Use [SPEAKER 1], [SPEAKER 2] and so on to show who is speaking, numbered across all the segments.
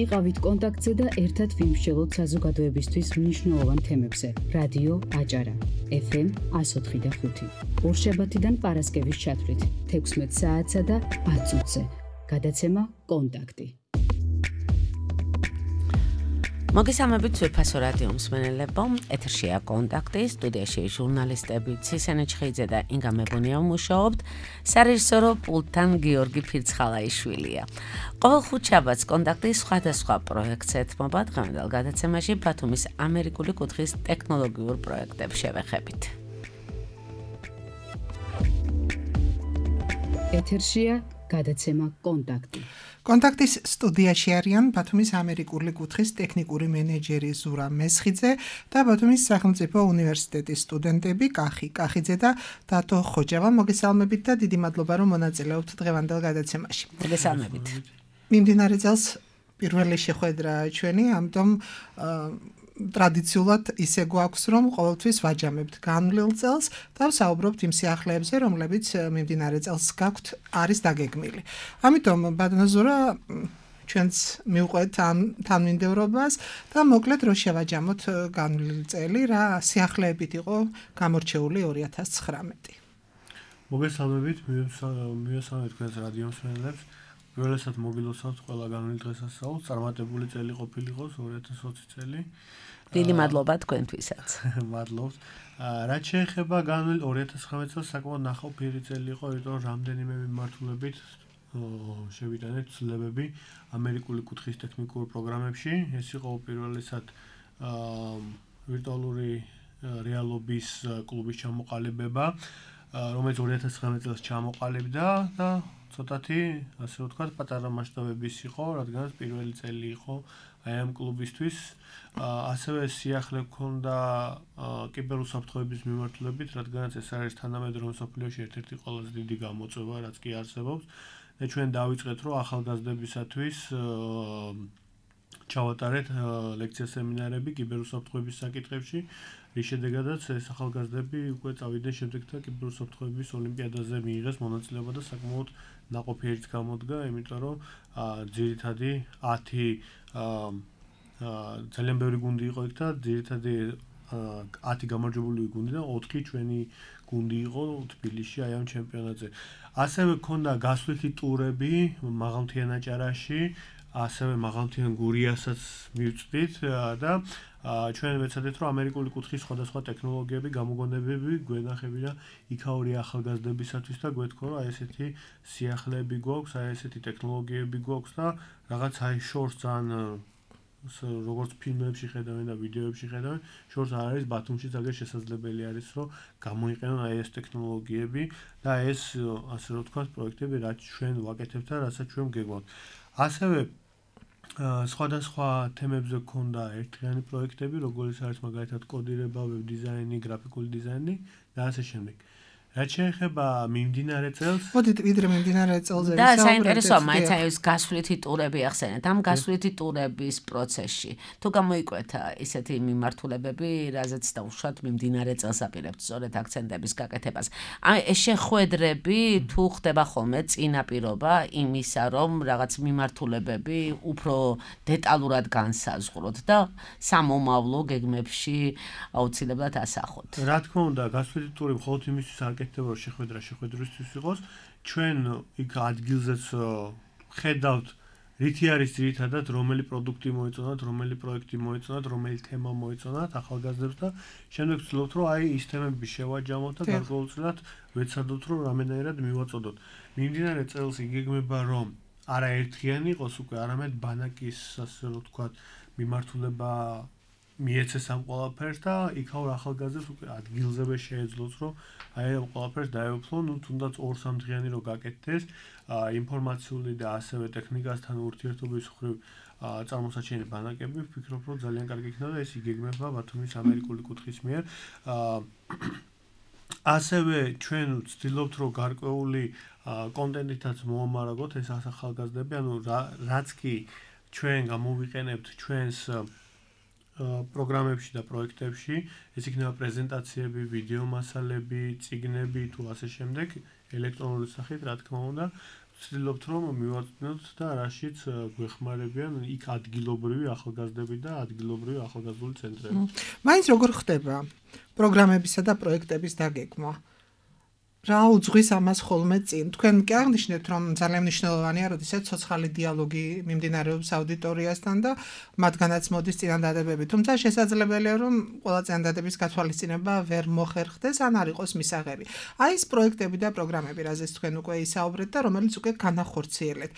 [SPEAKER 1] იყავით კონტაქტზე და ერთად ვიმსჯელოთ საზოგადოებისთვის მნიშვნელოვან თემებზე. რადიო აჭარა, FM 104.5. ორშაბათიდან პარასკევის ჩათვლით 16 საათსა და 10 წუთზე. გადაცემა კონტაქტი.
[SPEAKER 2] მოგესალმებით ვეფასო რადიო მსმენელებო, ეთერშია კონტაქტი, სტუდიაში ჟურნალისტები ცისენე ჩხიძე და ინგა მებონია მუშაობთ, სარეჟისორო პულტთან გიორგი ფირცხალაიშვილია. ყოველ ხუთშაბათს კონტაქტი სხვადასხვა პროექტს ეთმობა, დღევანდელ გადაცემაში ბათუმის ამერიკული კუთხის ტექნოლოგიურ პროექტებს შევეხებით.
[SPEAKER 1] ეთერშია გადაცემა კონტაქტი.
[SPEAKER 3] კონტაქტის სტუდიაში არიან ბათუმის ამერიკული კუთხის ტექნიკური მენეჯერი ზურა მესხიძე და ბათუმის სახელმწიფო უნივერსიტეტის სტუდენტები კახი კახიძე და დათო ხოჯავა. მოგესალმებით და დიდი მადლობა რომ მონაწილეობთ დღევანდელ გადაცემაში.
[SPEAKER 2] მოგესალმებით.
[SPEAKER 3] მიმდინარე წელს პირველი შეხვედრა ჩვენი, ამიტომ ტრადიციულად ისე გვაქვს რომ ყოველთვის ვაჯამებთ განვლილ წელს და ვსაუბრობთ იმ სიახლეებზე, რომლებიც მიმდინარე წელს გაქვთ არის დაგეგმილი. ამიტომ ბატონო ზურა, ჩვენც მივყვეთ ამ თანმიმდევრობას და მოკლედ რო შევაჯამოთ განვლილ წელი, რა სიახლეებით იყო გამორჩეული 2019.
[SPEAKER 4] მოგესალმებით, მივესალმებით თქვენს რადიო მსმენელებს. პირველად მოგილოცავთ ყველა განვლილ დღესასწაულს, წარმატებული წელი ყოფილიყო 2020 წელი.
[SPEAKER 2] დიდი მადლობა თქვენთვისაც.
[SPEAKER 4] მადლობთ. რაც შეეხება განვლილ 2019 წელს საკმაოდ ნახავფიერი წელი იყო, იმიტომ რომ რამდენიმე მიმართულებით შევიტანეთ ცვლილებები ამერიკული კუთხის ტექნიკურ პროგრამებში. ეს იყო პირველად ვირტუალური რეალობის კლუბის ჩამოყალიბება, რომელიც 2019 წელს ჩამოყალიბდა და ცოტათი, ასე ვთქვათ, პატარა მასშტაბების იყო, რადგანაც პირველი წელი იყო აი ამ კლუბისთვის. ასევე სიახლე გქონდა კიბერუსაფრთხოების მიმართულებით, რადგანაც ეს არის თანამედროვე მსოფლიოში ერთ-ერთი ყველაზე დიდი გამოწვევა, რაც კი არსებობს. და ჩვენ დავიწყეთ, რომ ახალგაზრდებისათვის ჩავატარეთ ლექცია სემინარები კიბერუსაფრთხოების საკითხებში, რის შედეგადაც ეს ახალგაზრდები უკვე წავიდნენ შემდეგთა კიბერუსაფრთხოების ოლიმპიადაზე მიიღეს მონაწილეობა და საკმაოდ ნაყოფიერიც გამოდგა, იმიტომ რომ ძირითადი 10 ძალიან ბევრი გუნდი იყო იქ და ძირითადი 10 გამარჯვებული გუნდი და 4 ჩვენი გუნდი იყო თბილისში აი ამ ჩემპიონატზე. ასევე ქონდა გასვლითი ტურები მაღალმთიან აჭარაში, ასევე მაღალმთიან გურიასაც მივწვდით და ჩვენ ვეცადეთ, რომ ამერიკული კუთხის სხვადასხვა ტექნოლოგიები, გამოგონებები გვენახები და იქაური ახალგაზრდებისათვის და გვეთქვა, რომ აი ესეთი სიახლეები გვაქვს, აი ესეთი ტექნოლოგიები გვაქვს და რაღაც აი შორს ძალიან როგორც ფილმებში ხედავენ და ვიდეოებში ხედავენ, შორს არ არის ბათუმში ძალიან შესაძლებელი არის, რომ გამოიყენონ აი ეს ტექნოლოგიები და ეს ასე რომ ვთქვათ პროექტები, რაც ჩვენ ვაკეთებთ და რასაც ჩვენ გეგმავთ. ასევე სხვადასხვა თემებზე გქონდა ერთიანი პროექტები, როგორც არის მაგალითად კოდირება, ვებ დიზაინი, გრაფიკული დიზაინი და ასე შემდეგ. რაც შეეხება მიმდინარე წელს,
[SPEAKER 3] მოდით ვიდრე მიმდინარე წელზე
[SPEAKER 2] და საინტერესოა, მაინც აი ეს გასვლითი ტურები ახსენეთ. ამ გასვლითი ტურების პროცესში თუ გამოიკვეთა ისეთი მიმართულებები, რაზეც დაუშვათ მიმდინარე წელს აპირებთ სწორედ აქცენტების გაკეთებას. აი ეს შეხვედრები თუ ხდება ხოლმე წინაპირობა იმისა, რომ რაღაც მიმართულებები უფრო დეტალურად განსაზღვროთ და სამომავლო გეგმებში აუცილებლად ასახოთ.
[SPEAKER 4] რა თქმა უნდა, გასვლითი ტური მხოლოდ იმისთვის აკეთდება, რომ შეხვედრისთვის იყოს. ჩვენ იქ ადგილზეც ხედავთ, რითი არის ძირითადად, რომელი პროდუქტი მოეწონათ, რომელი პროექტი მოეწონათ, რომელი თემა მოეწონათ ახალგაზრდებს და შემდეგ ვცდილობთ, რომ აი ის თემები შევაჯამოთ და გარკვეულწილად ვეცადოთ, რომ რამენაირად მივაწოდოთ. მიმდინარე წელს იგეგმება, რომ არა ერთიანი იყოს უკვე, არამედ ბანაკის, ასე რომ ვთქვათ, მიმართულება მიეცეს ამ ყველაფერს და იქაურ ახალგაზრდებს უკვე ადგილზევე შეეძლოს, რომ აი ამ ყველაფერს დაეუფლონ, თუნდაც 2-3 დღიანი რო გაკეთდეს, ინფორმაციული და ასევე ტექნიკასთან ურთიერთობის მხრივ წარმოსაჩინე ბანაკები, ვფიქრობ, რომ ძალიან კარგი იქნება და ეს იგეგმება ბათუმის ამერიკული კუთხის მიერ. ასევე ჩვენ ვცდილობთ, რომ გარკვეული კონტენტითაც მოამარაგოთ ეს ახალგაზრდები, ანუ რაც კი ჩვენ გამოვიყენებთ ჩვენს პროგრამებში და პროექტებში, ეს იქნება პრეზენტაციები, ვიდეო მასალები, წიგნები თუ ასე შემდეგ, ელექტრონული სახით, რა თქმა უნდა, ვცდილობთ რომ მივაწვდნოთ და რაშიც გვეხმარებიან იქ ადგილობრივი ახალგაზრდები და ადგილობრივი ახალგაზრდული ცენტრები.
[SPEAKER 3] მაინც როგორ ხდება პროგრამებისა და პროექტების დაგეგმვა? რა უძღვის ამას ხოლმე წინ? თქვენ კი აღნიშნეთ, რომ ძალიან მნიშვნელოვანია, როდესაც ცოცხალი დიალოგი მიმდინარეობს აუდიტორიასთან და მათგანაც მოდის წინადადებები. თუმცა შესაძლებელია, რომ ყველა წინადადების გათვალისწინება ვერ მოხერხდეს, ან არ იყოს მისაღები. აი ეს პროექტები და პროგრამები, რაზეც თქვენ უკვე ისაუბრეთ და რომელიც უკვე განახორციელეთ.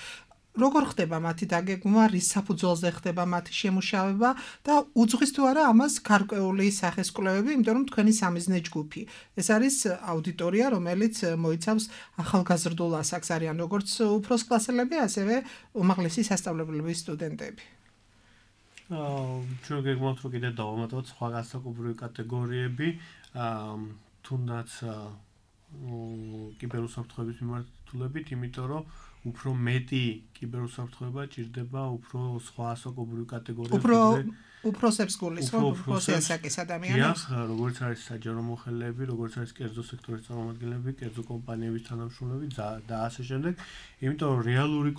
[SPEAKER 3] როგორ ხდება მათი დაგეგმვა, რის საფუძველზე ხდება მათი შემუშავება და უძღვის თუ არა ამას გარკვეული სახის კვლევები, იმიტომ რომ თქვენი სამიზნე ჯგუფი. ეს არის აუდიტორია, რომელიც მოიცავს ახალგაზრდულ ასაკს, არიან როგორც უფროს კლასელები, ასევე უმაღლესი სასწავლებლების სტუდენტები.
[SPEAKER 4] ჩვენ გეგმავთ რომ კიდევ დავამატოთ სხვა განსაკუთრებული კატეგორიები, თუნდაც კიბერუსაფრთხოების მიმართულებით, იმიტომ რომ უფრო მეტი კიბერუსაფრთხოება ჭირდება უფრო სხვა ასაკობრივი კატეგორიების
[SPEAKER 3] უფროსებს გულისხმობ, უფროსი ასაკის ადამიანებს.
[SPEAKER 4] როგორც არის საჯარო მოხელეები, როგორც არის კერძო სექტორის წარმომადგენლები, კერძო კომპანიების თანამშრომლები და ასე შემდეგ. იმიტომ რომ რეალური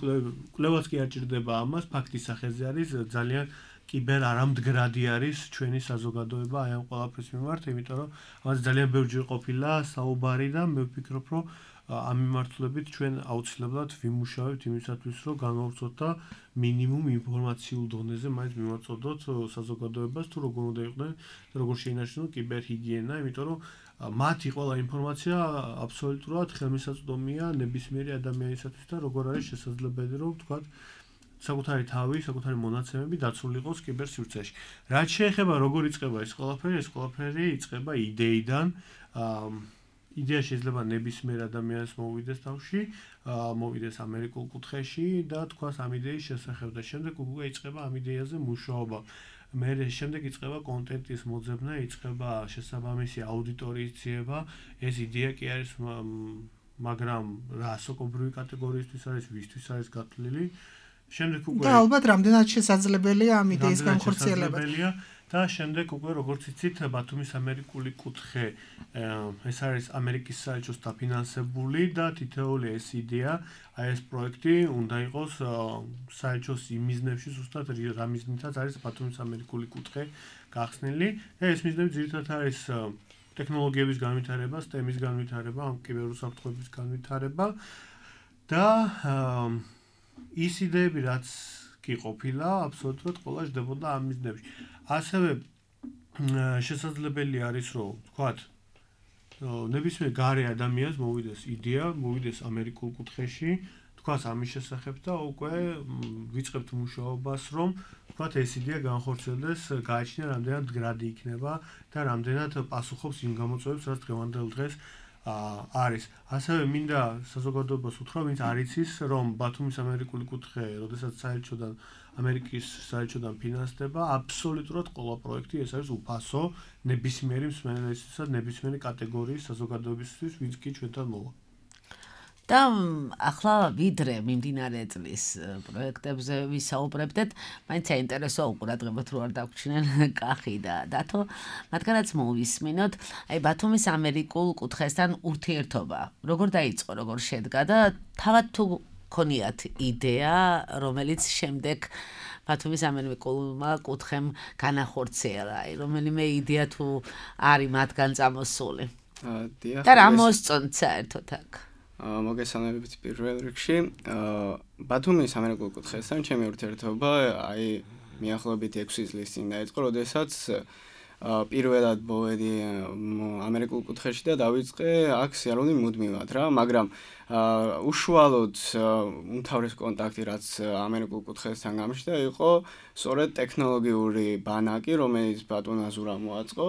[SPEAKER 4] კვლევაც კი არ ჭირდება ამას, ფაქტის სახეზე არის ძალიან კიბერ არამდგრადი არის ჩვენი საზოგადოება აი ამ ყველაფრის მიმართ, იმიტომ რომ ამაზე ძალიან ბევრჯერ ყოფილა საუბარი და მე ვფიქრობ, რომ ამ მიმართულებით ჩვენ აუცილებლად ვიმუშავებთ იმისათვის, რომ განვავრცელოთ და მინიმუმ ინფორმაციულ დონეზე მაინც მივაწოდოთ საზოგადოებას, თუ როგორ უნდა იყვნენ და როგორ შეინარჩუნონ კიბერჰიგიენა, იმიტომ რომ მათი ყველა ინფორმაცია აბსოლუტურად ხელმისაწვდომია ნებისმიერი ადამიანისათვის და როგორ არის შესაძლებელი, რომ ვთქვათ, საკუთარი თავი, საკუთარი მონაცემები დაცული იყოს კიბერსივრცეში. რაც შეეხება როგორ იწყება ეს ყველაფერი იწყება იდეიდან. იდეა შეიძლება ნებისმიერ ადამიანს მოვიდეს თავში, მოვიდეს ამერიკულ კუთხეში და თქვას ამ იდეის შესახებ და შემდეგ უკვე იწყება ამ იდეაზე მუშაობა. მე შემდეგ იწყება კონტენტის მოძებნა, იწყება შესაბამისი აუდიტორიის ძიება. ეს იდეა კი არის, მაგრამ რა ასაკობრივი კატეგორიისთვის არის, ვისთვის არის გათვლილი. შემდეგ უკვე
[SPEAKER 3] და ალბათ რამდენად შესაძლებელია ამ იდეის განხორციელება.
[SPEAKER 4] და შემდეგ უკვე როგორც იცით, ბათუმის ამერიკული კუთხე ეს არის ამერიკის საელჩოს დაფინანსებული და თითოეული ეს იდეა, აი ეს პროექტი უნდა იყოს საელჩოს იმ მიზნებში, ზუსტად რა მიზნითაც არის ბათუმის ამერიკული კუთხე გახსნილი. და ეს მიზნები ძირითადად არის ტექნოლოგიების განვითარება, STEM-ის განვითარება, კიბერუსაფრთხოების განვითარება და ის იდეები, რაც კი ყოფილა, აბსოლუტურად ყველა ჯდებოდა ამ მიზნებში. ასევე შესაძლებელი არის, რომ ვთქვათ, ნებისმიერ გარე ადამიანს მოვიდეს იდეა, მოვიდეს ამერიკულ კუთხეში, თქვას ამის შესახებ და უკვე ვიწყებთ მუშაობას, რომ ვთქვათ, ეს იდეა განხორციელდეს, გააჩნია რამდენად მდგრადი იქნება და რამდენად პასუხობს იმ გამოწვევებს, რაც დღევანდელ დღეს არის. ასევე მინდა საზოგადოებას უთხრა, ვინც არ იცის, რომ ბათუმის ამერიკული კუთხე, როდესაც საელჩოდან ამერიკის საელჩოდან ფინანსდება, აბსოლუტურად ყველა პროექტი ეს არის უფასო ნებისმიერი მსმენელისთვის და ნებისმიერი კატეგორიის საზოგადოებისთვის, ვინც კი ჩვენთან მოვა.
[SPEAKER 2] და ახლა ვიდრე მიმდინარე წლის პროექტებზე ვისაუბრებდეთ, მაინც საინტერესოა უყურადღებოთ რო არ დაგვრჩნენ კახი და დათო, მათგანაც მოვისმინოთ, აი ბათუმის ამერიკულ კუთხესთან ურთიერთობა, როგორ დაიწყო, როგორ შედგა და თავად თუ ქონიათ იდეა, რომელიც შემდეგ ბათუმის ამერიკულმა კუთხემ განახორციელა, აი რომელიმე იდეა თუ არის მათგან წამოსული. და რა მოსწონთ საერთოდ აქ?
[SPEAKER 5] მოგესალმებით პირველ რიგში. ბათუმის ამერიკულ კუთხესთან ჩემი ურთიერთობა აი მიახლოებით 6 წლის წინ დაიწყო, როდესაც პირველად მოვედი ამერიკულ კუთხეში და დავიწყე აქ სიარული მუდმივად რა, მაგრამ უშუალოდ უმთავრეს კონტაქტი რაც ამერიკულ კუთხესთან გამიშდა იყო სწორედ ტექნოლოგიური ბანაკი, რომელიც ბატონას ურა მოაწყო.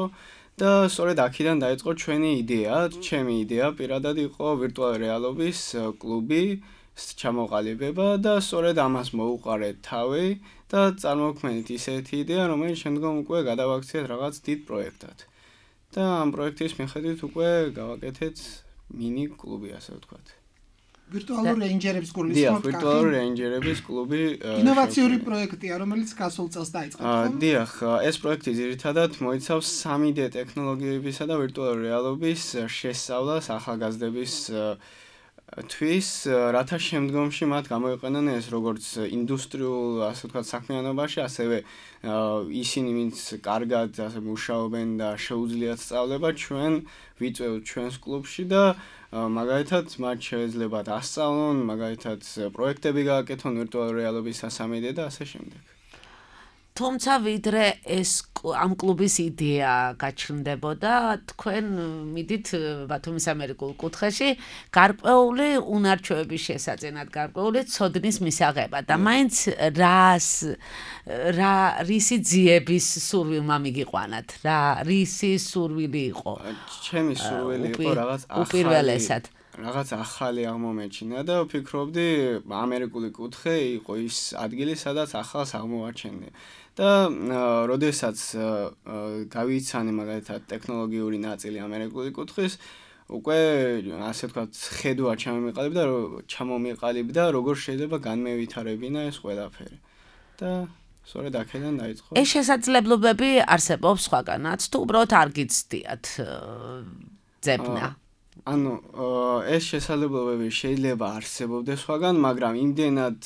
[SPEAKER 5] და სწორედ აქედან დაიწყო ჩვენი იდეა, ჩემი იდეა პირადად იყო ვირტუალური რეალობის კლუბი ჩამოყალიბება და სწორედ ამას მოუყარეთ თავი და წარმოვქმნით ისეთი იდეა, რომელიც შემდგომ უკვე გადავაქციეთ რაღაც დიდ პროექტად. და ამ პროექტის მიხედვით უკვე გავაკეთეთ მინი კლუბი, ასე ვთქვათ.
[SPEAKER 3] ვირტუალური რეინჯერების გულისხმობ კახი.
[SPEAKER 5] ვირტუალური რეინჯერების კლუბი
[SPEAKER 3] ინოვაციური პროექტია, რომელიც გასულ წელს დაიწყო.
[SPEAKER 5] დიახ, ეს პროექტი ძირითადად მოიცავს 3D ტექნოლოგიებისა და ვირტუალური რეალობის შესწავლას ახალგაზრდების თვის რათა შემდგომში მათ გამოიყენონ ეს როგორც ინდუსტრიულ ასე ვთქვათ საქმიანობაში, ასევე ისინი ვინც კარგად ასე მუშაობენ და შეუძლიათ სწავლება, ჩვენ ვიწევთ ჩვენს კლუბში და მაგალითად მათ შეეძლებათ ასწავლონ, მაგალითად პროექტები გააკეთონ ვირტუალური რეალობის სასამედე და ასე შემდეგ.
[SPEAKER 2] თუმცა ვიდრე ეს ამ კლუბის იდეა გაჩნდებოდა, თქვენ მიდით ბათუმის ამერიკულ კუთხეში გარკვეული უნარჩვევების შესაძენად, გარკვეული ცოდნის მისაღებად და მაინც რისი ძიების სურვილმა მიგიყვანათ, რისი სურვილი იყო?
[SPEAKER 5] ჩემი სურვილი იყო რაღაც ახალი აღმომეჩინა და ვფიქრობდი ამერიკული კუთხე იყო ის ადგილი, სადაც ახალს აღმოვაჩენდი. და როდესაც გავიცანე მაგალითად ტექნოლოგიური ნაწილი ამერიკული კუთხის, უკვე ასე ვთქვათ, ხედვა ჩამომიყალიბდა, როგორ შეიძლება განმევითარებინა ეს ყველაფერი. და სწორედ აქედან დაიწყო.
[SPEAKER 2] ეს შესაძლებლობები არსებობს სხვაგანაც, თუ უბრალოდ არ გიცდიათ ძებნა?
[SPEAKER 5] ანუ ეს შესაძლებლობები შეიძლება არსებობდეს სხვაგან, მაგრამ იმდენად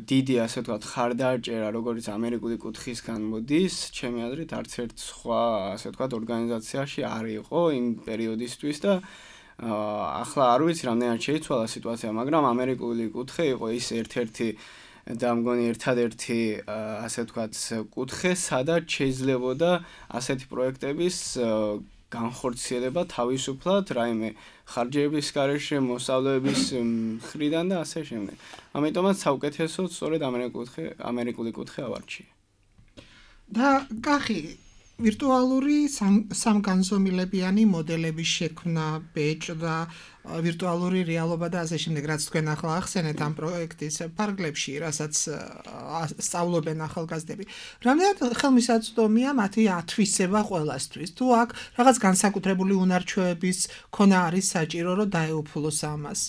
[SPEAKER 5] დიდი ასე ვთქვათ ხარდაჭერა, როგორც ამერიკული კუთხისგან მოდის, ჩემი აზრით არც ერთ სხვა ასე ვთქვათ ორგანიზაციაში არ იყო იმ პერიოდისთვის და ახლა არ ვიცი რამდენად შეიცვალა სიტუაცია, მაგრამ ამერიკული კუთხე იყო ის ერთ-ერთი და მგონი ერთადერთი ასე ვთქვათ კუთხე, სადაც შეიძლებოდა ასეთი პროექტების განხორციელება თავისუფლად, რაიმე ხარჯების გარეშე, მოსავლების მხრიდან და ასე შემდეგ. ამიტომაც საუკეთესოდ სწორედ ამერიკული კუთხე ავარჩია.
[SPEAKER 3] და კახი, ვირტუალური სამგანზომილებიანი მოდელების შექმნა, ბეჭდა, ვირტუალური რეალობა და ასე შემდეგ, რაც თქვენ ახლა ახსენეთ ამ პროექტის ფარგლებში, რასაც სწავლობენ ახალგაზრდები. რამდენად ხელმისაწვდომია მათი ათვისება ყველასთვის? თუ აქ რაღაც განსაკუთრებული უნარჩვევების ქონა არის საჭირო, რომ დაეუფლოს ამას?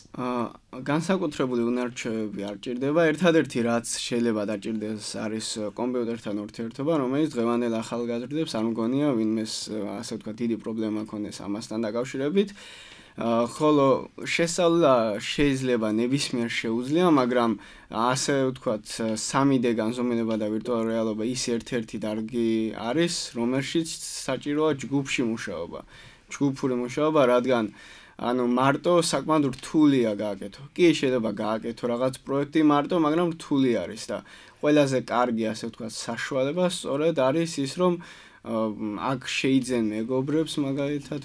[SPEAKER 5] განსაკუთრებული უნარჩვევები არ ჭირდება. ერთადერთი რაც შეიძლება დაჭირდეს არის კომპიუტერთან ურთიერთობა, რომელიც დღევანდელ ახალგაზრდებს არ მგონია ვინმეს ასე ვთქვათ დიდი პრობლემა ქონდეს ამასთან დაკავშირებით. ხოლო შესწავლა შეიძლება ნებისმიერ შეუძლია, მაგრამ ასე ვთქვათ 3D განზომილება და ვირტუალური რეალობა ის ერთ-ერთი დარგი არის, რომელშიც საჭიროა ჯგუფში მუშაობა. ჯგუფური მუშაობა, რადგან ანუ მარტო საკმაოდ რთულია გააკეთო. კი შეიძლება გააკეთო რაღაც პროექტი მარტო, მაგრამ რთული არის და ყველაზე კარგი ასე ვთქვათ საშუალება სწორედ არის ის, რომ აქ შეიძენ მეგობრებს მაგალითად,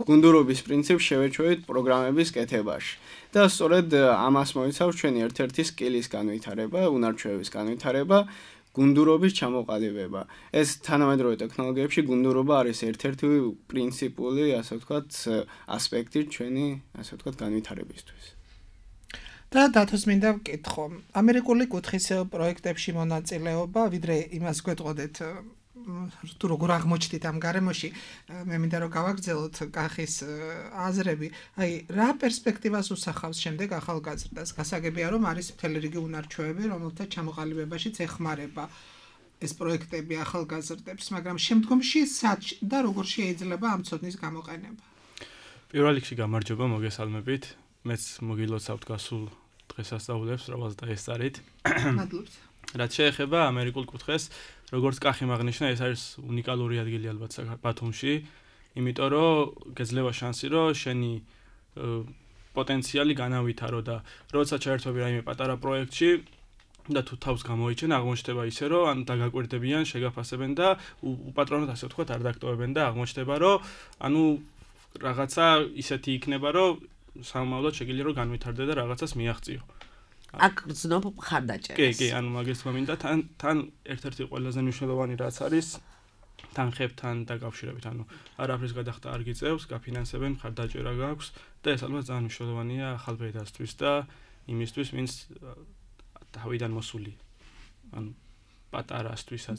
[SPEAKER 5] გუნდურობის პრინციპს შევეჩვევით პროგრამების კეთებაში. და სწორედ ამას მოიცავს ჩვენი ერთ-ერთი სკილის განვითარება, უნარჩვევების განვითარება, გუნდურობის ჩამოყალიბება. ეს თანამედროვე ტექნოლოგიებში გუნდურობა არის ერთ-ერთი პრინციპული, ასე ვთქვათ, ასპექტი ჩვენი, ასე ვთქვათ, განვითარებისთვის.
[SPEAKER 3] და დათოს მინდა ვკითხო, ამერიკული კუთხის პროექტებში მონაწილეობა, ვიდრე იმას გვეტყოდეთ, თუ როგორ აღმოჩნდით ამ გარემოში, მე მინდა რომ გავაგრძელოთ კახის აზრები. აი, რა პერსპექტივას უსახავს შემდეგ ახალგაზრდას? გასაგებია, რომ არის მთელი რიგი უნარჩვევები, რომელთა ჩამოყალიბებაშიც ეხმარება ეს პროექტები ახალგაზრდებს, მაგრამ შემდგომში და როგორ შეიძლება ამ ცოდნის გამოყენება?
[SPEAKER 6] პირველ რიგში გამარჯობა, მოგესალმებით. მეც მოგილოცავთ გასულ დღესასწაულებს, რომელსაც დაესწარით.
[SPEAKER 3] მადლობთ.
[SPEAKER 6] რაც შეეხება ამერიკულ კუთხეს, როგორც კახი აღნიშნა, ეს არის უნიკალური ადგილი ალბათ ბათუმში, იმიტომ რომ გეძლევა შანსი, რომ შენი პოტენციალი განავითარო და როცა ჩაერთვები რაიმე პატარა პროექტში და თუ თავს გამოიჩენ, აღმოჩნდება ისე, რომ ან დაგაკვირდებიან, შეგაფასებენ და უპატრონოდ ასე ვთქვათ, არ დაგტოვებენ და აღმოჩნდება, რომ ანუ რაღაცა ისეთი იქნება, რომ სამომავლოდ შეგიძლია რომ განვითარდე და რაღაცას მიაღწიო.
[SPEAKER 2] აქ გრძნობ ხარდაჭერას.
[SPEAKER 6] კი, ანუ მაგას თქმა თან ერთ-ერთი ყველაზე მნიშვნელოვანი რაც არის თანხებთან დაკავშირებით, ანუ არაფრის გადახდა არ გიწევს, გაფინანსებენ, ხარდაჭერა გაქვს და ეს ალბათ ძალიან მნიშვნელოვანია ახალ ბედასთვის და იმისთვის, ვინც თავიდან მოსული. ანუ პატარასთვისაც.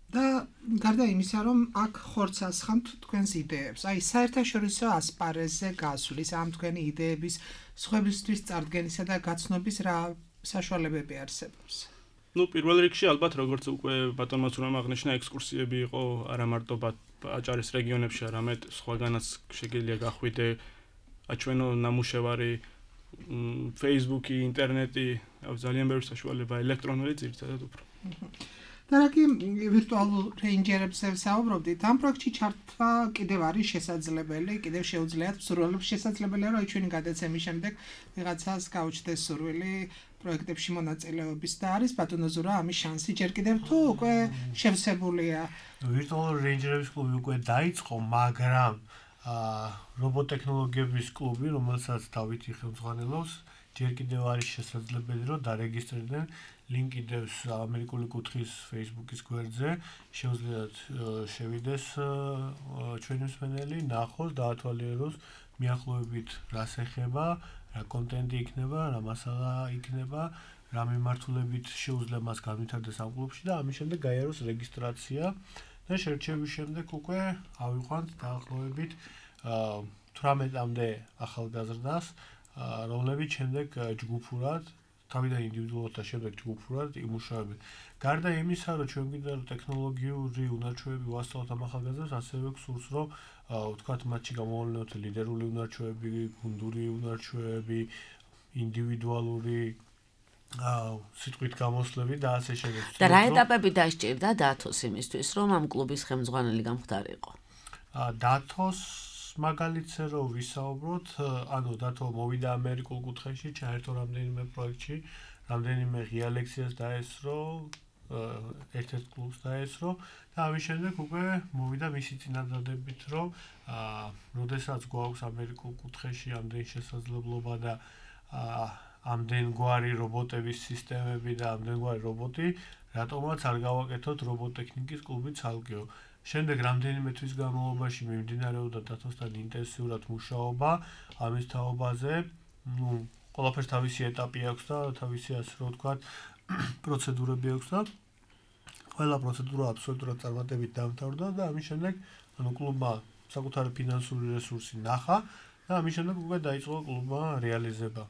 [SPEAKER 3] და გარდა იმისა, რომ აქ ხორცს ასხამთ თქვენს იდეებს, აი საერთაშორისო ასპარეზზე გასulis ამ თქვენი იდეების სხვებისთვის წარდგენისა და გაცნობის რა საშუალებები არსებობს?
[SPEAKER 6] ნუ პირველ რიგში ალბათ როგორც უკვე ბატონმა უცნაურმა აღნიშნა, ექსკურსიები იყო არა მარტო აჭარის რეგიონებში არამედ სხვაგანაც შეგიძლია გახვიდე აჩვენო ნამუშევარი Facebook-ი, ინტერნეტი, ძალიან ბევრი საშუალება ელექტრონული ძირითადად უფრო.
[SPEAKER 3] და რაკი ვირტუალურ რეინჯერებზე საუბრობდით, ამ პროექტში ჩართვა კიდევ არის შესაძლებელი, კიდევ შეუძლიათ მსურველებს შესაძლებელია, რომ ჩვენი გადაცემის შემდეგ ვიღაცას გაუჩნდეს სურვილი პროექტებში მონაწილეობის და არის ბატონო ზურა ამის შანსი ჯერ კიდევ თუ უკვე შევსებულია.
[SPEAKER 4] ვირტუალური რეინჯერების კლუბი უკვე დაიწყო, მაგრამ რობოტექნოლოგიების კლუბი, რომელსაც დავითი ხელმძღვანელობს, ჯერ კიდევ არის შესაძლებელი, რომ დარეგისტრირდნენ ლინკი დევს ამერიკული კუთხის Facebook-ის გვერდზე, შეუძლიათ შევიდეს ჩვენი მსმენელი, ნახოს, დაათვალიეროს მიახლოებით რას ეხება, რა კონტენტი იქნება, რა მასალა იქნება, რა მიმართულებით შეუძლია მას განვითარდეს ამ კლუბში და ამის შემდეგ გაიაროს რეგისტრაცია და შერჩევის შემდეგ უკვე ავიყვანთ დაახლოებით 18-მდე ახალგაზრდას, რომლებიც შემდეგ ჯგუფურად თავიდან ინდივიდუალურად და შემდეგ ჯგუფურად იმუშავებენ. გარდა იმისა, რომ ჩვენ გვინდა რომ ტექნოლოგიური უნარჩვევები ვასწავლოთ ამ ახალგაზრდებს, ასევე გსურს, რომ ვთქვათ, მათში გამოვლინოთ ლიდერული უნარჩვევები, გუნდური უნარჩვევები, ინდივიდუალური სიტყვით გამოსვლები და ასე შემდეგ.
[SPEAKER 2] და რა ეტაპები დასჭირდა დათოს იმისთვის, რომ ამ კლუბის ხელმძღვანელი გამხდარიყო?
[SPEAKER 4] დათოს მაგალითზე რომ ვისაუბროთ, ანუ დათო მოვიდა ამერიკულ კუთხეში, ჩაერთო რამდენიმე პროექტში, რამდენიმე ღია ლექციას დაესწრო, ერთ-ერთ კლუბს დაესწრო და ამის შემდეგ უკვე მოვიდა მისი წინადადებით, რომ როდესაც გვაქვს ამერიკულ კუთხეში ამდენი შესაძლებლობა და ამდენგვარი რობოტების სისტემები და ამდენგვარი რობოტი, რატომაც არ გავაკეთოთ რობოტექნიკის კლუბი ცალკეო. შემდეგ რამდენიმე თვის განმავლობაში მიმდინარეობდა დათოსთან ინტენსიურად მუშაობა ამის თაობაზე. ყველაფერს თავისი ეტაპი აქვს და თავისი ასე რომ ვთქვათ, პროცედურები აქვს და ყველა პროცედურა აბსოლუტურად წარმატებით დამთავრდა და ამის შემდეგ კლუბმა საკუთარი ფინანსური რესურსი ნახა და ამის შემდეგ უკვე დაიწყო კლუბმა რეალიზება.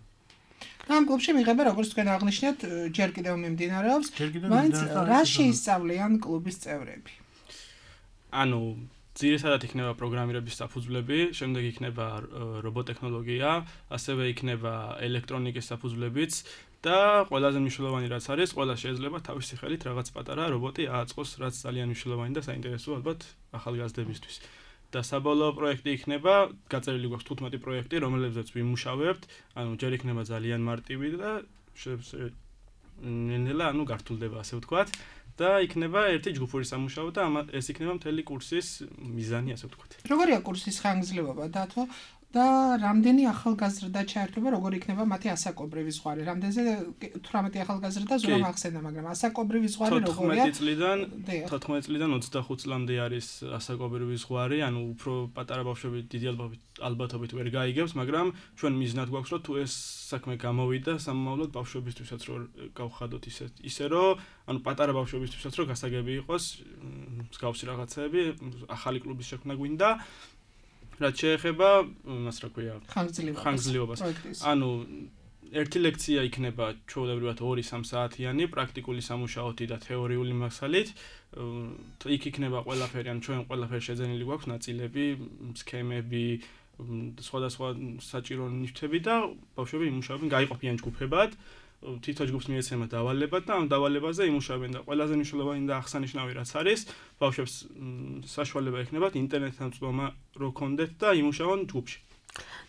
[SPEAKER 3] ამ კლუბში მიღება, როგორც თქვენ აღნიშნეთ, ჯერ კიდევ მიმდინარეობს, მაინც რა შეისწავლიან კლუბის წევრები?
[SPEAKER 6] ანუ ძირითადად იქნება პროგრამირების საფუძვლები, შემდეგ იქნება რობოტექნოლოგია, ასევე იქნება ელექტრონიკის საფუძვლებიც და ყველაზე მნიშვნელოვანი რაც არის, ყველა შეიძლება თავისი ხელით რაღაც პატარა რობოტი ააწყოს, რაც ძალიან მნიშვნელოვანი და საინტერესოა ალბათ ახალგაზრდებისთვის. და საბოლოო პროექტი იქნება, გაწერილი გვაქვს 15 პროექტი, რომელებზეც ვიმუშავებთ, ანუ ჯერ იქნება ძალიან მარტივი და ნელა, ანუ გართულდება ასე ვთქვათ. და იქნება ერთი ჯგუფური სამუშაო და ეს იქნება მთელი კურსის მიზანი, ასე ვთქვათ.
[SPEAKER 3] როგორია კურსის ხანგრძლივობა დათო და რამდენი ახალგაზრდა ჩაერთვება, როგორ იქნება მათი ასაკობრივი ზღვარი? რამდენზე 18 ახალგაზრდა ზურა მახსენდა, მაგრამ ასაკობრივი ზღვარი როგორია?
[SPEAKER 6] 14 წლიდან 25 წლამდე არის ასაკობრივი ზღვარი, ანუ უფრო პატარა ბავშვები დიდი ალბათობით ვერ გაიგებს, მაგრამ ჩვენ მიზნად გვაქვს, რომ თუ ეს საქმე გამოვიდა სამომავლოდ ბავშვებისთვისაც რომ გავხადოთ ისე რომ ანუ პატარა ბავშვებისთვისაც რომ გასაგები იყოს მსგავსი რაღაცები, ახალი კლუბის შექმნა გვინდა. რაც შეეხება, მას რა ქვია, ხანგრძლივობას. ანუ ერთი ლექცია იქნება ჩვეულებრივად 2-3 საათიანი პრაქტიკული სამუშაოთი და თეორიული მასალით. იქ იქნება ყველაფერი, ანუ ჩვენ ყველაფერი შეძენილი გვაქვს, ნაწილები, სქემები, სხვადასხვა საჭირო ნივთები და ბავშვები იმუშავებენ, გაიყოფიან ჯგუფებად. თითო ჯგუფს მიეცემათ დავალება და ამ დავალებაზე იმუშავებენ და ყველაზე მნიშვნელოვანი და აღსანიშნავი რაც არის, ბავშვებს საშუალება ექნებათ ინტერნეტთან წვდომა რო ქონდეთ და იმუშავონ ჯგუფში.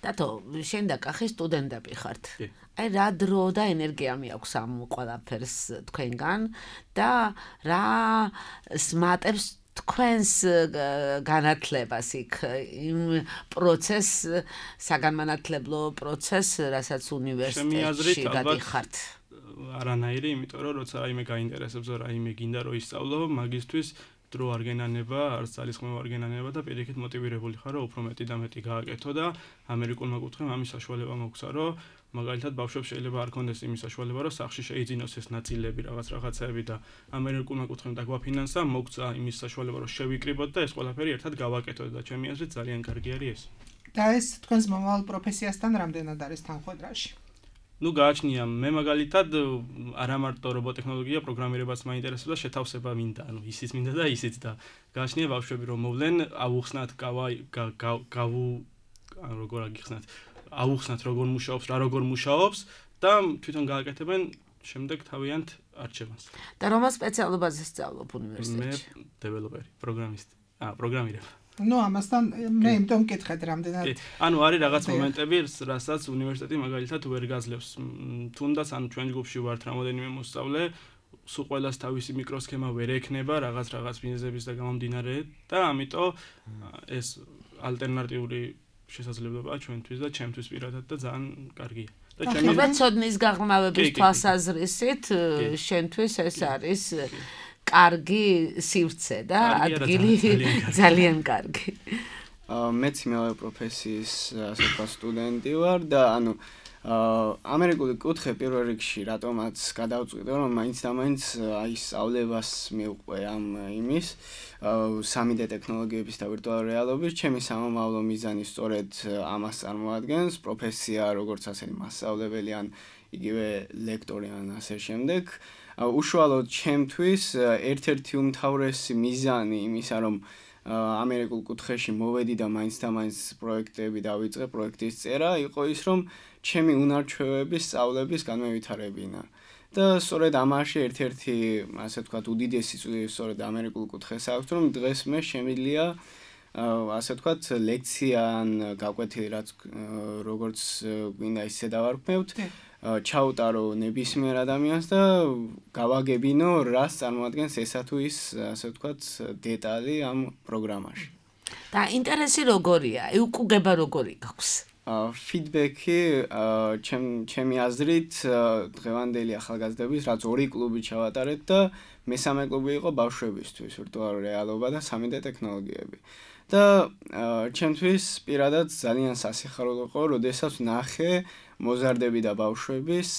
[SPEAKER 2] დათო, შენ და კახი სტუდენტები ხართ. აი რა დრო და ენერგია მიაქვს ამ ყველაფერს თქვენგან და რა სმატებს თქვენს განათლებას იქ იმ პროცესს, საგანმანათლებლო პროცესს, რასაც უნივერსიტეტში გადიხართ.
[SPEAKER 6] არანაირი, იმიტომ რომ როცა რაიმე გაინტერესებს და რაიმე გინდა რომ ისწავლო, მაგისთვის დრო არ გენანება, არც ძალისხმევა არ გენანება და პირიქით მოტივირებული ხარ, რომ უფრო მეტი და მეტი გააკეთო და ამერიკულმა კუთხემ ამის საშუალება მოგცა, რომ მაგალითად ბავშვებს შეიძლება არ კონდეს იმის საშუალება, რომ სახში შეიძინოს ეს ნაწილები, რაღაცები და ამერიკულმა კუთხემ დაგვაფინანსა, მოგცა იმის საშუალება, რომ შევიკრიბოთ და ეს ყველაფერი ერთად გავაკეთოთ და ჩემი აზრით ძალიან კარგი არის ეს.
[SPEAKER 3] და ეს თქვენს მომავალ პროფესიასთან რამდენად არის თანხვედრაში?
[SPEAKER 6] ну გააჩნია მე მაგალითად არა მარტო რობოტექნოლოგია პროგრამირებაც მაინტერესებს და შეთავსება მინდა ანუ ისიც მინდა და ისიც და გააჩნია ბავშვები რომ მოვლენ ავუხსნათ როგორ აგიხსნათ ავუხსნათ როგორ მუშაობს რა როგორ მუშაობს და თვითონ გააკეთებენ შემდეგ თავიანთ არჩევანს
[SPEAKER 2] და რომელ სპეციალობაზე სწავლობ უნივერსიტეტში
[SPEAKER 6] მე დეველოპერი პროგრამისტი პროგრამირება
[SPEAKER 3] ну ამასთან მე იმდომ მკითხეთ რამდენად
[SPEAKER 6] ანუ არის რაღაც მომენტები რასაც უნივერსიტეტი მაგალითად ვერ გაძლევს თუნდაც ანუ ჩვენ ჯგუფში ვართ რამოდენიმე მოსწავლე სულ ყველას თავისი მიკროსქემა ვერ ექნება რაღაც მიზეზების და გამომდინარე და ამიტომ ეს ალტერნატიული შესაძლებლობაა ჩვენთვის და ჩემთვის პირადად და ძალიან კარგია და
[SPEAKER 2] ჩემი ცოდნის გაღრმავების თვალსაზრისით შენთვის ეს არის კარგი სივრცე და ადგილი ძალიან კარგი.
[SPEAKER 5] მეც მეორე პროფესიის ასე ვთქვათ სტუდენტი ვარ და ანუ ამერიკული კუთხე პირველ რიგში რატომაც გადავწყვიტე რომ მაინც და მაინც აი სწავლებას მივყვე ამ იმის 3D ტექნოლოგიების და ვირტუალური რეალობის ჩემი სამომავლო მიზანი სწორედ ამას წარმოადგენს პროფესია როგორც ასეთი მასწავლებელი ან იგივე ლექტორი ან ასე შემდეგ უშუალოდ ჩემთვის ერთ-ერთი უმთავრესი მიზანი იმისა რომ ამერიკულ კუთხეში მოვედი და მაინც და მაინც პროექტები დავიწყე პროექტის წერა იყო ის რომ ჩემი უნარჩვევების სწავლების განმევითარებინა და სწორედ ამაში ერთ-ერთი ასე ვთქვათ უდიდესი წვლილი სწორედ ამერიკულ კუთხეს აქვს რომ დღეს მე შემიძლია ასე ვთქვათ ლექცია ან გაკვეთილი რაც როგორც გვინდა ისე დავარქმევთ ჩაუტარო ნებისმიერ ადამიანს და გავაგებინო რას წარმოადგენს ესა თუ ის ასე ვთქვათ დეტალი ამ პროგრამაში.
[SPEAKER 2] და ინტერესი როგორია? უკუგება როგორი გაქვს?
[SPEAKER 5] ფიდბექი ჩემი აზრით დღევანდელი ახალგაზრდების რაც ორი კლუბი ჩავატარეთ და მესამე კლუბი იყო ბავშვებისთვის ვირტუალური რეალობა და 3D ტექნოლოგიები. და ჩემთვის პირადად ძალიან სასიხარულო იყო, როდესაც ნახე მოზარდები და ბავშვების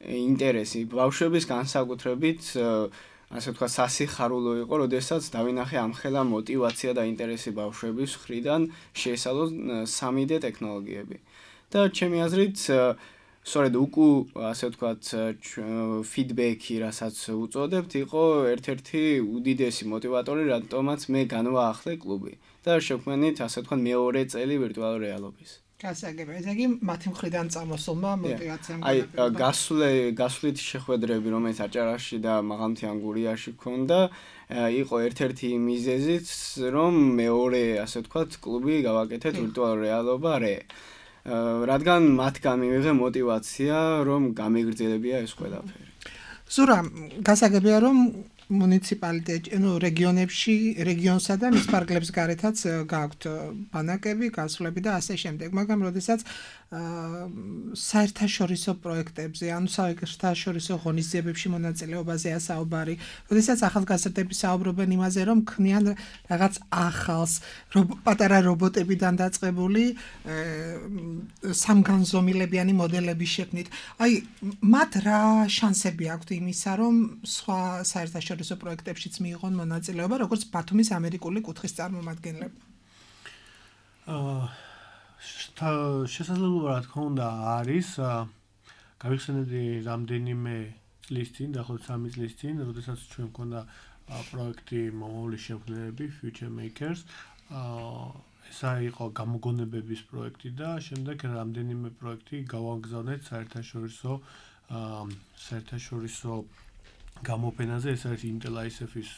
[SPEAKER 5] ინტერესი, ბავშვების განსაკუთრებით ასე ვთქვათ სასიხარულო იყო, როდესაც დავინახე ამხელა мотиваცია და ინტერესი ბავშვების მხრიდან შეესალოს 3D ტექნოლოგიები. და ჩემი აზრით სწორედ ასე ვთქვათ ფიდბექი, რასაც უწოდებთ, იყო ერთ-ერთი უდიდესი мотиваტორი, რატომაც მე განვაახლე კლუბი და შევქმნით ასე ვთქვათ მეორე წელი ვირტუალური რეალობის.
[SPEAKER 3] გასაგებია, ესე იგი მათი მხრიდან წამოსულმა мотиваციამ
[SPEAKER 5] აი გასვლით შეხვედრები, რომელიც აჭარაში და მაღალმთიან გურიაში ქონდა, იყო ერთ-ერთი მიზეზიც, რომ მეორე ასე ვთქვათ კლუბი გავაკეთეთ ვირტუალური რეალობა რე. რადგან მათგან მივიღე мотиваცია, რომ გამეგრძელებია ეს ყველაფერი.
[SPEAKER 3] ზურა, გასაგებია, რომ მუნიციპალიტეტი, რეგიონებში, რეგიონსა და მის ფარგლებს გარეთაც გააქვთ ბანაკები, გასვლები და ასე შემდეგ, მაგრამ როდესაც საერთაშორისო პროექტებზე, ანუ საერთაშორისო ღონისძიებებში მონაწილეობაზეა საუბარი, როდესაც ახალგაზრდები საუბრობენ იმაზე, რომ ქმნიან რაღაც ახალს, პატარა რობოტებიდან დაწყებული სამგანზომილებიანი მოდელების შექმნით. აი, მათ რა შანსები აქვთ იმისა, რომ სხვა საერთაშორისო პროექტებშიც მიიღონ მონაწილეობა, როგორც ბათუმის ამერიკული კუთხის წარმომადგენლები?
[SPEAKER 4] შესაძლებლობა რა თქმა უნდა არის გავიხსენებდი რამდენიმე წლის წინ, დაახლოებით 3 წლის წინ, როდესაც ჩვენ მქონდა პროექტი მომავლის შემქმნელები Future Makers. ეს იყო გამოგონებების პროექტი და შემდეგ რამდენიმე პროექტი გავაგზავნეთ საერთაშორისო გამოფენაზე, ეს არის Intel ISF-ის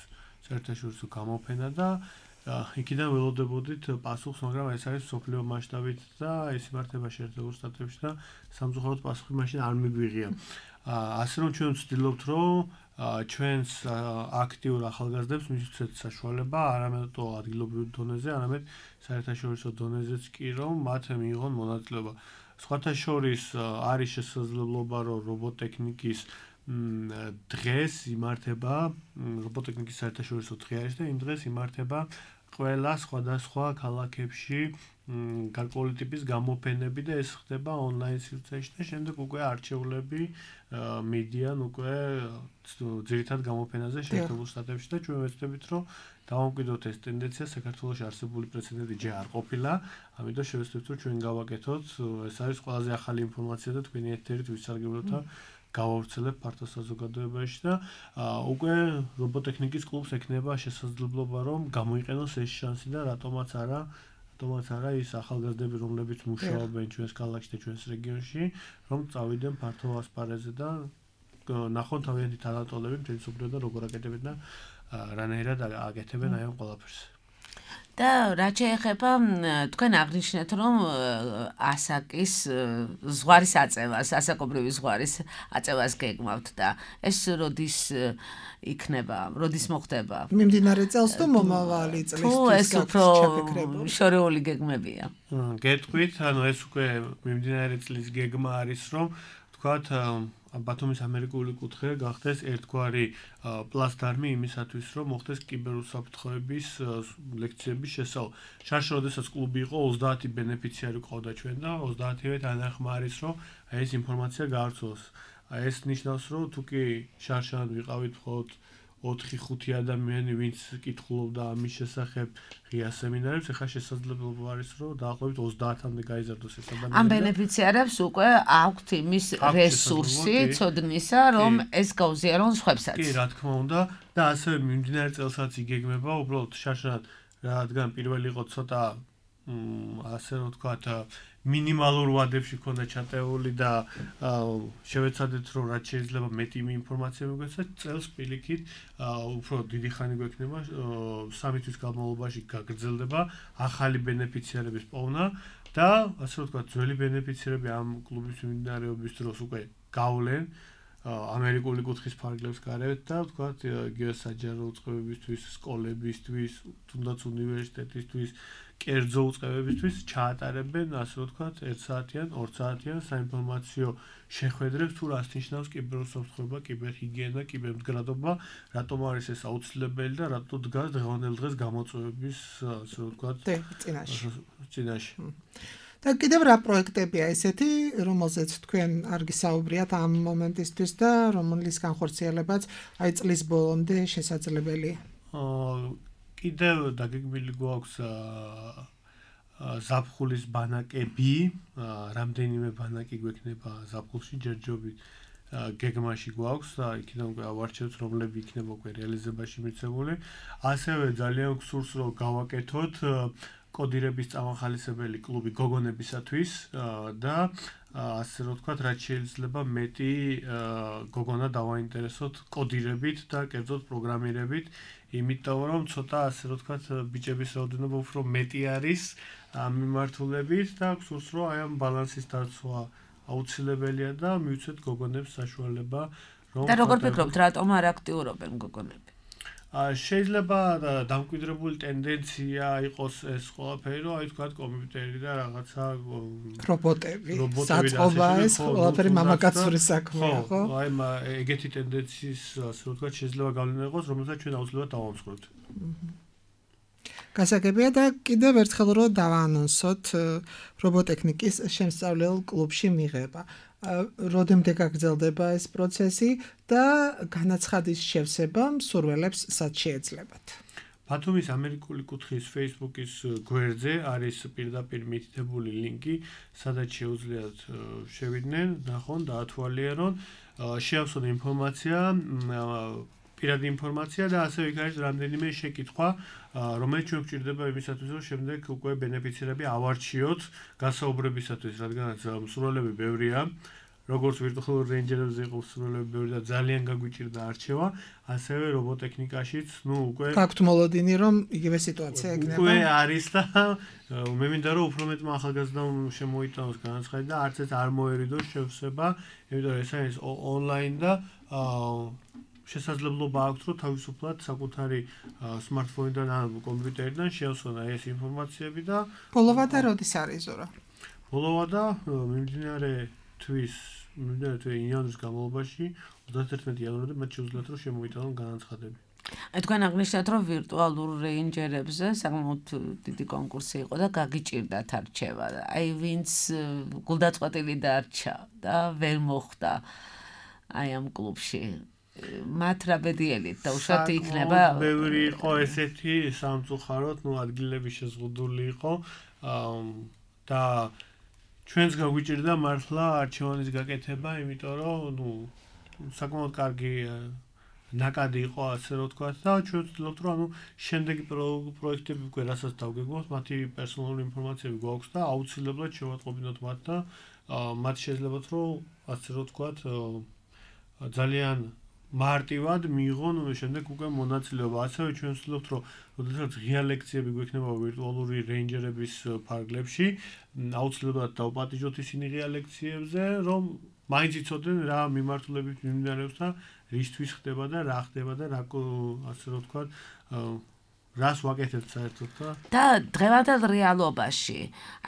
[SPEAKER 4] საერთაშორისო გამოფენა და იქიდან ველოდებოდით პასუხს, მაგრამ ეს არის სოფლიო მასშტაბით და ეს იმართება შეერთებულ შტატებში და სამწუხაროდ პასუხი მაშინ არ მიგვიღია. ასე რომ ჩვენ ვცდილობთ, რომ ჩვენს აქტიურ ახალგაზრდებს მივცეთ საშუალება არამედ ადგილობრივ დონეზე, არამედ საერთაშორისო დონეზეც კი, რომ მათ მიიღონ მონაწილეობა. სხვათა შორის არის შესაძლებლობა, რომ რობოტექნიკის დღეს იმართება რობოტექნიკის საერთაშორისო დღე არის და იმ დღეს იმართება ყველა სხვადასხვა ქალაქებში გარკვეული ტიპის გამოფენები და ეს ხდება ონლაინ სივრცეში და შემდეგ უკვე არჩევლები მიდიან უკვე ძირითად გამოფენაზე შეერთებულ შტატებში და ჩვენ ვეცდებით რომ დავამკვიდროთ ეს ტენდენცია საქართველოში არსებული პრეცედენტი ჯერ არ ყოფილა, ამიტომ შევეცდებით რომ ჩვენ გავაკეთოთ, ეს არის ყველაზე ახალი ინფორმაცია და თქვენი ეთერით ვისარგებლოთ და გავავრცელებ ფართო საზოგადოებაში და უკვე რობოტექნიკის კლუბს ექნება შესაძლებლობა რომ გამოიყენოს ეს შანსი და რატომაც არა ის ახალგაზრდები რომლებიც მუშაობენ ჩვენს ქალაქში და ჩვენს რეგიონში რომ წავიდნენ ფართო ასპარეზზე და ნახონ თავიანთი თანატოლები მთელი მსოფლიოდან როგორ აკეთებენ და რანაირად აკეთებენ აი ამ ყველაფერს.
[SPEAKER 2] და რაც შეეხება თქვენ აღნიშნეთ რომ ასაკის ზღვარის აწევას, ასაკობრივი ზღვარის აწევას გეგმავთ და ეს როდის იქნება, როდის მოხდება?
[SPEAKER 3] მიმდინარე წელს თუ მომავალი წლისთვის
[SPEAKER 2] ჩაფიქრებული? შორეული გეგმებია.
[SPEAKER 4] გეტყვით, ანუ ეს უკვე მიმდინარე წლის გეგმა არის რომ თქვათ ბათუმის ამერიკული კუთხე გახდეს ერთგვარი პლასტარმი იმისათვის, რომ მოხდეს კიბერუსაფრთხოების ლექციების შესწავლა. შარშ როდესაც კლუბი იყო 30 ბენეფიციარი ყავდა ჩვენ და 30-ივე თანახმა არის, რომ ეს ინფორმაცია გავრცელოს. ეს ნიშნავს, რომ თუ კი შარშან ვიყავით მხოლოდ 4-5 ადამიანი, ვინც კითხულობდა ამის შესახებ ღია სემინარებს, ახლა შესაძლებლობა არის, რომ დაახლოებით 30-მდე გაიზარდოს ეს ადამიანი.
[SPEAKER 2] ამ ბენეფიციარებს უკვე აქვთ იმის რესურსი, ცოდნისა, რომ ეს გაუზიარონ სხვებსაც.
[SPEAKER 4] კი, რა თქმა უნდა, და ასევე მიმდინარე წელსაც იგეგმება, უბრალოდ შარშან, რადგან პირველი იყო ცოტა ასე რომ ვთქვათ, მინიმალურ ვადებში ქონდა ჩატეული და შევეცადეთ რომ რაც შეიძლება მეტი ინფორმაცია მოგეცათ წელს პირიქით უფრო დიდი ხანი გვექნება 3 თვის განმავლობაში გაგრძელდება ახალი ბენეფიციარების პოვნა და ასე რომ ვთქვათ ძველი ბენეფიციარები ამ კლუბის მიმდინარეობის დროს უკვე გავლენ ამერიკული კუთხის ფარგლებს გარეთ და ვთქვათ იგივე საჯარო უწყებებისთვის, სკოლებისთვის, თუნდაც უნივერსიტეტისთვის კერძო უწყებებისთვის ჩაატარებენ, ასე რომ ვთქვათ, 1 საათიან, 2 საათიან საინფორმაციო შეხვედრებს თუ რას ნიშნავს კიბერუსაფრთხოება, კიბერჰიგიენა, კიბერმდგრადობა, რატომ არის ეს აუცილებელი და რატო დგას დღევანდელ დღეს გამოწვევების, ასე რომ ვთქვათ, წინაშე.
[SPEAKER 3] და კიდევ რა პროექტებია ესეთი, რომელზეც თქვენ არ გისაუბრიათ ამ მომენტისთვის და რომლის განხორციელებაც აი წლის ბოლომდე შესაძლებელია?
[SPEAKER 4] კიდევ დაგეგმილი გვაქვს ზაფხულის ბანაკები, რამდენიმე ბანაკი გვექნება ზაფხულში ჯერჯობით გეგმაში გვაქვს და იქიდან უკვე ავარჩევთ რომლები იქნება უკვე რეალიზებაში მიცემული. ასევე ძალიან გსურს რომ გავაკეთოთ კოდირების წამახალისებელი კლუბი გოგონებისათვის და ასე რომ ვთქვათ, რაც შეიძლება მეტი გოგონა დავაინტერესოთ კოდირებით და კერძოდ პროგრამირებით, იმიტომ რომ ცოტა ასე რომ ვთქვათ, ბიჭების რაოდენობა უფრო მეტი არის ამ მიმართულებით და გსურს რომ აი ამ ბალანსის დაცვა აუცილებელია და მივცეთ გოგონებს საშუალება რომ
[SPEAKER 2] და როგორ ფიქრობთ, რატომ არ აქტიურობენ გოგონები?
[SPEAKER 4] შეიძლება დამკვიდრებული ტენდენცია იყოს ეს ყველაფერი, რომ აი თქვათ კომპიუტერი და რაღაცა
[SPEAKER 3] რობოტები, საწყობა ეს ყველაფერი მამაკაცური საქმეა, ხო?
[SPEAKER 4] აი ეგეთი ტენდენციის ასე ვთქვათ შეიძლება გავლენა იყოს, რომელსაც ჩვენ აუცილებლად დავამსხვრევთ.
[SPEAKER 3] გასაგებია და კიდევ ერთხელ რომ დავაანონსოთ რობოტექნიკის შემსწავლელ კლუბში მიღება. როდემდე გაგრძელდება ეს პროცესი და განაცხადის შევსება მსურველებს სად შეეძლებათ?
[SPEAKER 4] ბათუმის ამერიკული კუთხის Facebook-ის გვერდზე არის პირდაპირ მითითებული ლინკი, სადაც შეუძლიათ შევიდნენ, ნახონ, დაათვალიერონ, შეავსონ ინფორმაცია, პირადი ინფორმაცია და ასევე იქ არის რამდენიმე შეკითხვა, რომელიც ჩვენ გვჭირდება იმისათვის, რომ შემდეგ უკვე ბენეფიციარები ავარჩიოთ გასაუბრებისათვის, რადგანაც მსურველები ბევრია, როგორც ვირტუალურ რეინჯერებზე იყო მსურველები ბევრი და ძალიან გაგვიჭირდა არჩევა, ასევე რობოტექნიკაშიც, უკვე
[SPEAKER 3] გაქვთ მოლოდინი, რომ იგივე სიტუაცია ეგნება.
[SPEAKER 4] უკვე არის და მე მინდა რომ უფრო მეტმა ახალგაზრდამ შემოიტანოს განაცხადი და არც ეს არ მოერიდოს შევსება, იმიტომ რომ ეს არის ონლაინ და შესაძლებლობა აქვს, რომ თავისუფლად საკუთარი სმარტფონიდან ან კომპიუტერიდან შეავსონ ეს ინფორმაციები და
[SPEAKER 3] ბოლოვა და როდის არის ზურა?
[SPEAKER 4] ბოლოვა და მიმდინარე თვის იანვრის განმავლობაში 31 იანვრამდე მათ შეუძლიათ რომ შემოიტანონ განაცხადები.
[SPEAKER 2] თქვენ აღნიშნეთ, რომ ვირტუალურ რეინჯერებზე საკმაოდ დიდი კონკურსი იყო და გაგიჭირდათ არჩევა. აი ვინც გულდაწყვეტილი დარჩა და ვერ მოხვდა აი ამ კლუბში. მათ რა ბედიელით დაუშვათ იქნება.
[SPEAKER 4] ბევრი იყო ესეთი სამწუხაროდ, ადგილები შეზღუდული იყო და ჩვენს გაგვიჭირდა მართლა არჩევანის გაკეთება, იმიტომ რომ საკმაოდ კარგი ნაკადი იყო, ასე რომ ვთქვათ, და ჩვენ ვცდილობთ, რომ შემდეგი პროექტები უკვე რასაც დავგეგმოთ, მათი პერსონალური ინფორმაციები გვაქვს და აუცილებლად შევატყობინოთ მათ და მათ შეძლებათ, რომ ასე რომ ვთქვათ, ძალიან მარტივად მიიღონ შემდეგ უკვე მონაწილეობა. ასევე ჩვენ ვცდილობთ, რომ როდესაც ღია ლექციები გვექნება ვირტუალური რეინჯერების ფარგლებში, აუცილებლად დავპატიჟოთ ისინი ღია ლექციებზე, რომ მაინც იცოდნენ რა მიმართულებით მიმდინარეობს და რისთვის ხდება და რა ხდება და რა ასე რომ ვთქვათ, რას ვაკეთებთ საერთოდ
[SPEAKER 2] და დღევანდელ რეალობაში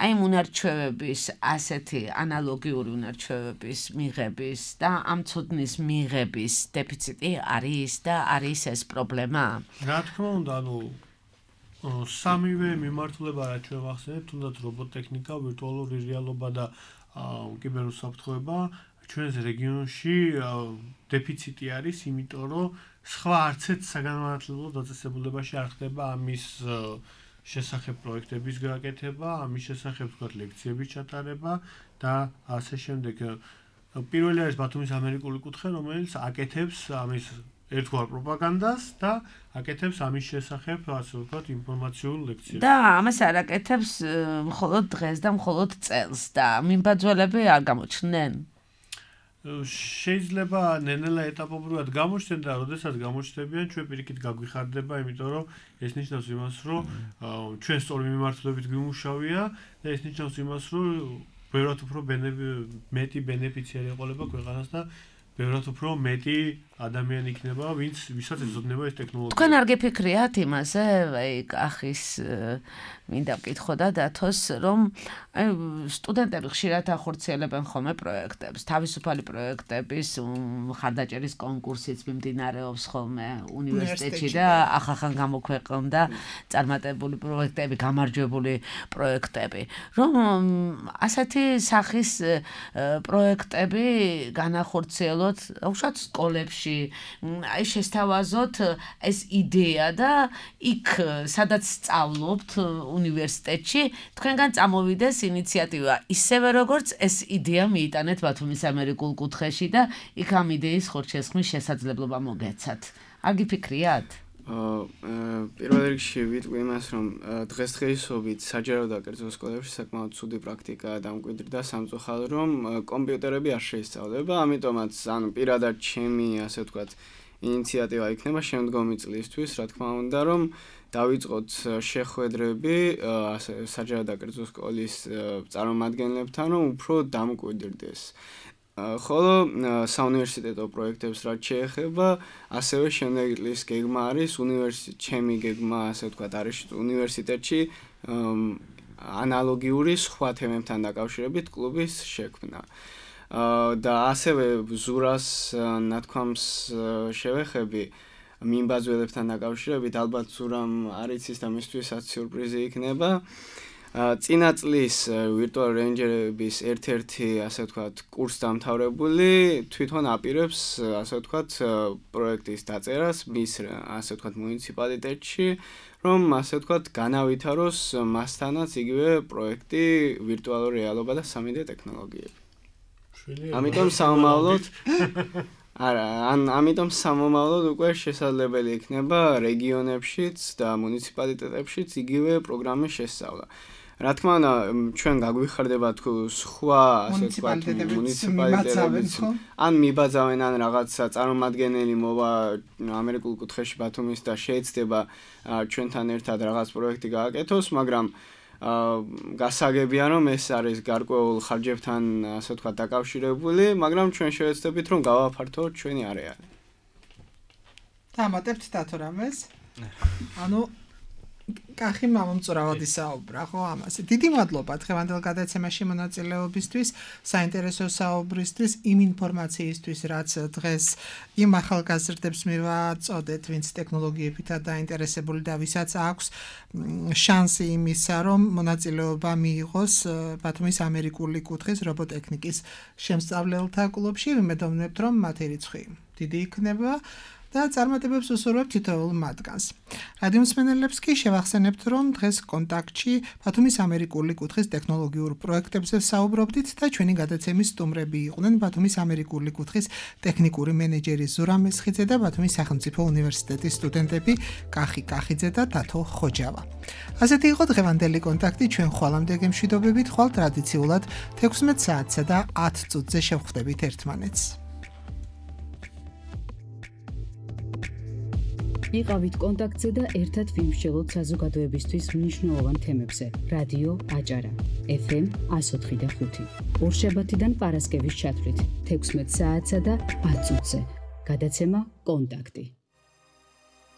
[SPEAKER 2] აი უნარჩვევების ასეთი ანალოგიური უნარჩვევების მიღების და ამ ცოდნის მიღების დეფიციტი არის და არის ეს პრობლემა?
[SPEAKER 4] რა თქმა უნდა, სამივე მიმართულება რაც ჩვენ ვახსენებთ, თუნდაც რობოტექნიკა, ვირტუალური რეალობა და კიბერუსაფრთხოება ჩვენს რეგიონში დეფიციტი არის, იმიტომ რომ სხვა არცეთ საგანმანათლებლო დაწესებულებაში არ ხდება ამის შესახებ პროექტების გაკეთება, ამის შესახებ თქვათ ლექციების ჩატარება და ასე შემდეგ. პირველი არის ბათუმის ამერიკული კუთხე, რომელიც აკეთებს ამის ერთგვარ პროპაგანდას და აკეთებს ამის შესახებ, ასე ვთქვათ, ინფორმაციულ ლექციებს.
[SPEAKER 2] და ამას არ აკეთებს მხოლოდ დღეს და მხოლოდ წელს და მიმბაძველები არ გამოჩნდნენ.
[SPEAKER 4] შეიძლება ნენელა ეტაპობრივად გამოჩნდნენ და როდესაც გამოჩნდებიან, ჩვენ პირიქით გაგვიხარდება, იმიტომ რომ ეს ნიშნავს იმას, რომ ჩვენ სწორი მიმართულებით გვიმუშავია და ეს ნიშნავს იმას, რომ ბევრად უფრო მეტი ბენეფიციარი ეყოლება ქვეყანას და ბევრად უფრო მეტი ადამიანი იქნება, ვისაც ეძებნება ეს ტექნოლოგია.
[SPEAKER 2] თქვენ არ გიფიქრიათ იმაზე, აი კახის მინდა ვკითხო და დათოს, რომ აი სტუდენტები ხშირად ახორციელებენ ხოლმე პროექტებს, თავისუფალი პროექტების მხარდაჭერის კონკურსიც მიმდინარეობს ხოლმე უნივერსიტეტში და ახახან გამოქვეყნდა წარმატებული პროექტები, გამარჯვებული პროექტები. რომ ასეთი სახის პროექტები განახორციელოთ უშუალოდ სკოლებში, აი შესთავაზოთ ეს იდეა და იქ სადაც სწავლობთ უნივერსიტეტში თქვენგან წამოვიდეს ინიციატივა ისევე როგორც ეს იდეა მიიტანეთ ბათუმის ამერიკულ კუთხეში და იქ ამ იდეის ხორჩესხმის შესაძლებლობა მოგეცათ. არ გიფიქრიათ?
[SPEAKER 5] პირველ რიგში ვიტყვი იმას, რომ დღესდღეობით საჯარო და კერძო სკოლებში საკმაოდ ცუდი პრაქტიკაა დამკვიდრდა სამწუხაროდ, რომ კომპიუტერები არ შეისწავლება, ამიტომაც ანუ პირადად ჩემი, ასე ვთქვათ, ინიციატივა იქნება შემდგომი წლისთვის, რა თქმა უნდა, რომ დავიწყოთ შეხვედრები საჯარო და კერძო სკოლის წარმომადგენლებთან, რომ უფრო დამკვიდრდეს. ხოლო საუნივერსიტეტო პროექტებს რაც შეეხება, ასევე შემდეგი წლის გეგმა არის ჩემი გეგმა, ასე ვთქვათ, არის უნივერსიტეტში ანალოგიური სხვა თემებთან დაკავშირებით კლუბის შექმნა. და ასევე ზურას ნათქვამს შევეხები მიმბაძველებთან დაკავშირებით, ალბათ ზურამ არ იცის და მისთვისაც სიურპრიზი იქნება. წინა წლის ვირტუალ რეინჯერების ერთ-ერთი, ასე ვთქვათ, კურს დამთავრებული თვითონ აპირებს, ასე ვთქვათ, პროექტის დაწერას მის, ასე ვთქვათ, მუნიციპალიტეტში, რომ, ასე ვთქვათ, განავითაროს მასთანაც იგივე პროექტი ვირტუალური რეალობა და 3D ტექნოლოგიები. ამიტომ სამომავლოდ ამიტომ სამომავლოდ უკვე შესაძლებელი იქნება რეგიონებშიც და მუნიციპალიტეტებშიც იგივე პროგრამის შესწავლა. რა თქმა უნდა, ჩვენ გაგვიხარდება თუ სხვა, ასე ვთქვათ, მუნიციპალიტეტებიც ან მიბაძავენ ან რაღაცა წარმომადგენელი მოვა ამერიკულ კუთხეში ბათუმის და შეეცდება ჩვენთან ერთად რაღაც პროექტი გააკეთოს, მაგრამ გასაგებია რომ ეს არის გარკვეულ ხარჯებთან, ასე ვთქვათ, დაკავშირებული, მაგრამ ჩვენ შევეცდებით რომ გავაფართოვოთ ჩვენი არეალი.
[SPEAKER 3] დამატებთ დათო რამეს? ანუ კახი მამამწურავად ისაუბრა, ხო, ამაზე. დიდი მადლობა დღევანდელ გადაცემაში მონაწილეობისთვის, საინტერესო საუბრისთვის, იმ ინფორმაციისთვის, რაც დღეს იმ ახალგაზრდებს მივაწოდეთ, ვინც ტექნოლოგიებითა დაინტერესებული და ვისაც აქვს შანსი იმისა, რომ მონაწილეობა მიიღოს ბათუმის ამერიკული კუთხის რობოტექნიკის შემსწავლელთა კლუბში. ვიმედოვნებთ, რომ მათი რიცხვი დიდი იქნება. და წარმატებებს უსურვებთ თითოეულ მათგანს. რადიო მსმენელებს კი შევახსენებთ, რომ დღეს კონტაქტში ბათუმის ამერიკული კუთხის ტექნოლოგიურ პროექტებზე საუბრობდით და ჩვენი გადაცემის სტუმრები იყვნენ ბათუმის ამერიკული კუთხის ტექნიკური მენეჯერი ზურა მესხიძე და ბათუმის სახელმწიფო უნივერსიტეტის სტუდენტები კახი კახიძე და დათო ხოჯავა. ასეთი იყო დღევანდელი კონტაქტი. ჩვენ ხვალამდე გემშვიდობებით, ხვალ ტრადიციულად 16 საათსა და 10 წუთზე შევხვდებით ერთმანეთს.
[SPEAKER 1] იყავით კონტაქტზე და ერთად ვიმსჯელოთ საზოგადოებისთვის მნიშვნელოვან თემებზე. რადიო აჭარა, FM 104.5. ორშაბათიდან პარასკევის ჩათვლით 16 საათსა და 10 წუთზე. გადაცემა კონტაქტი.